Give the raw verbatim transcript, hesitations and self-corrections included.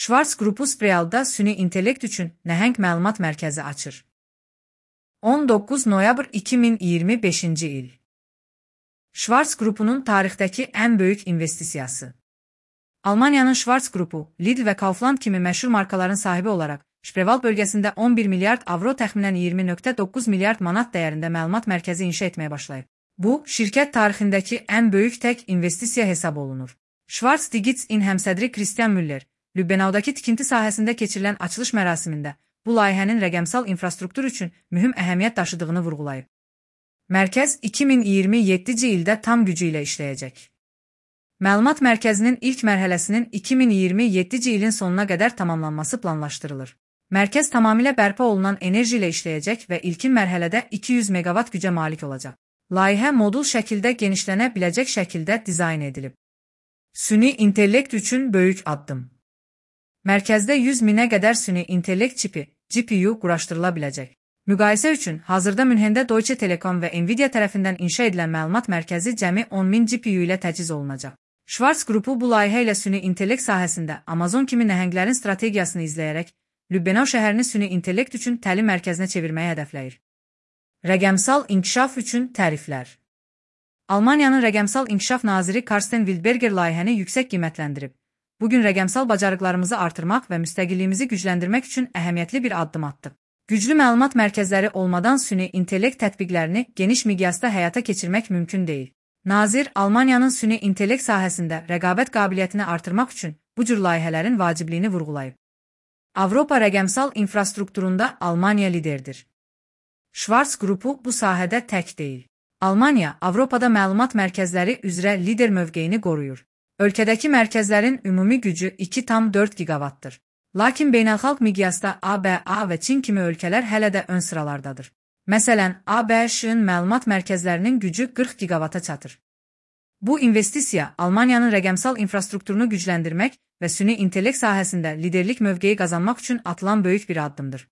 Schwarz qrupu Sprealda süni intellekt üçün nəhəng məlumat mərkəzi açır. on doqquz noyabr iki min iyirmi beşinci il. Schwarz qrupunun tarixdəki ən böyük investisiyası. Almaniyanın Schwarz qrupu, Lidl və Kaufland kimi məşhur markaların sahibi olaraq, Spreewald bölgəsində on bir milyard avro təxminən iyirmi nöqtə doqquz milyard manat dəyərində məlumat mərkəzi inşa etməyə başlayıb. Bu, şirkət tarixindəki ən böyük tək investisiya hesab olunur. Schwarz Digits-in həmsədri Christian Müller, Lübbenau'dakı tikinti sahəsində keçirilən açılış mərasimində bu layihənin rəqəmsal infrastruktur üçün mühüm əhəmiyyət daşıdığını vurğulayıb. Mərkəz iki min iyirmi yeddinci ildə tam gücü ilə işləyəcək. Məlumat mərkəzinin ilk mərhələsinin iki min iyirmi yeddinci ilin sonuna qədər tamamlanması planlaşdırılır. Mərkəz tamamilə bərpa olunan enerji ilə işləyəcək və ilkin mərhələdə iki yüz meqavat gücə malik olacaq. Layihə modul şəkildə genişlənə biləcək şəkildə dizayn edilib. Süni intellekt üçün böyük addım. Mərkəzdə yüz minə qədər süni intellekt çipi, G P U quraşdırıla biləcək. Müqayisə üçün, hazırda Münhendə Deutsche Telekom və Nvidia tərəfindən inşa edilən məlumat mərkəzi cəmi on min G P U ilə təchiz olunacaq. Schwarz qrupu bu layihə ilə süni intellekt sahəsində Amazon kimi nəhənglərin strategiyasını izləyərək, Lübbenau şəhərini süni intellekt üçün təlim mərkəzinə çevirməyi hədəfləyir. Rəqəmsal inkişaf üçün təriflər. Almaniyanın rəqəmsal inkişaf naziri Karsten Wildberger layihəni yüksək qiymətləndirib. Bugün rəqəmsal bacarıqlarımızı artırmaq və müstəqilliyimizi gücləndirmək üçün əhəmiyyətli bir addım atdıq. Güclü məlumat mərkəzləri olmadan süni intellekt tətbiqlərini geniş miqyasda həyata keçirmək mümkün deyil. Nazir, Almaniyanın süni intellekt sahəsində rəqabət qabiliyyətini artırmaq üçün bu cür layihələrin vacibliyini vurğulayıb. Avropa rəqəmsal infrastrukturunda Almaniya liderdir. Schwarz qrupu bu sahədə tək deyil. Almaniya, Avropada məlumat mərkəzləri üzrə lider mövqeyini qoruyur. Ölkədəki mərkəzlərin ümumi gücü iki tam dörd giqavatdır. Lakin beynəlxalq miqyasda A B A və Çin kimi ölkələr hələ də ön sıralardadır. Məsələn, A B Ş-ın məlumat mərkəzlərinin gücü qırx giqavata çatır. Bu investisiya Almaniyanın rəqəmsal infrastrukturunu gücləndirmək və süni intellekt sahəsində liderlik mövqeyi qazanmaq üçün atılan böyük bir addımdır.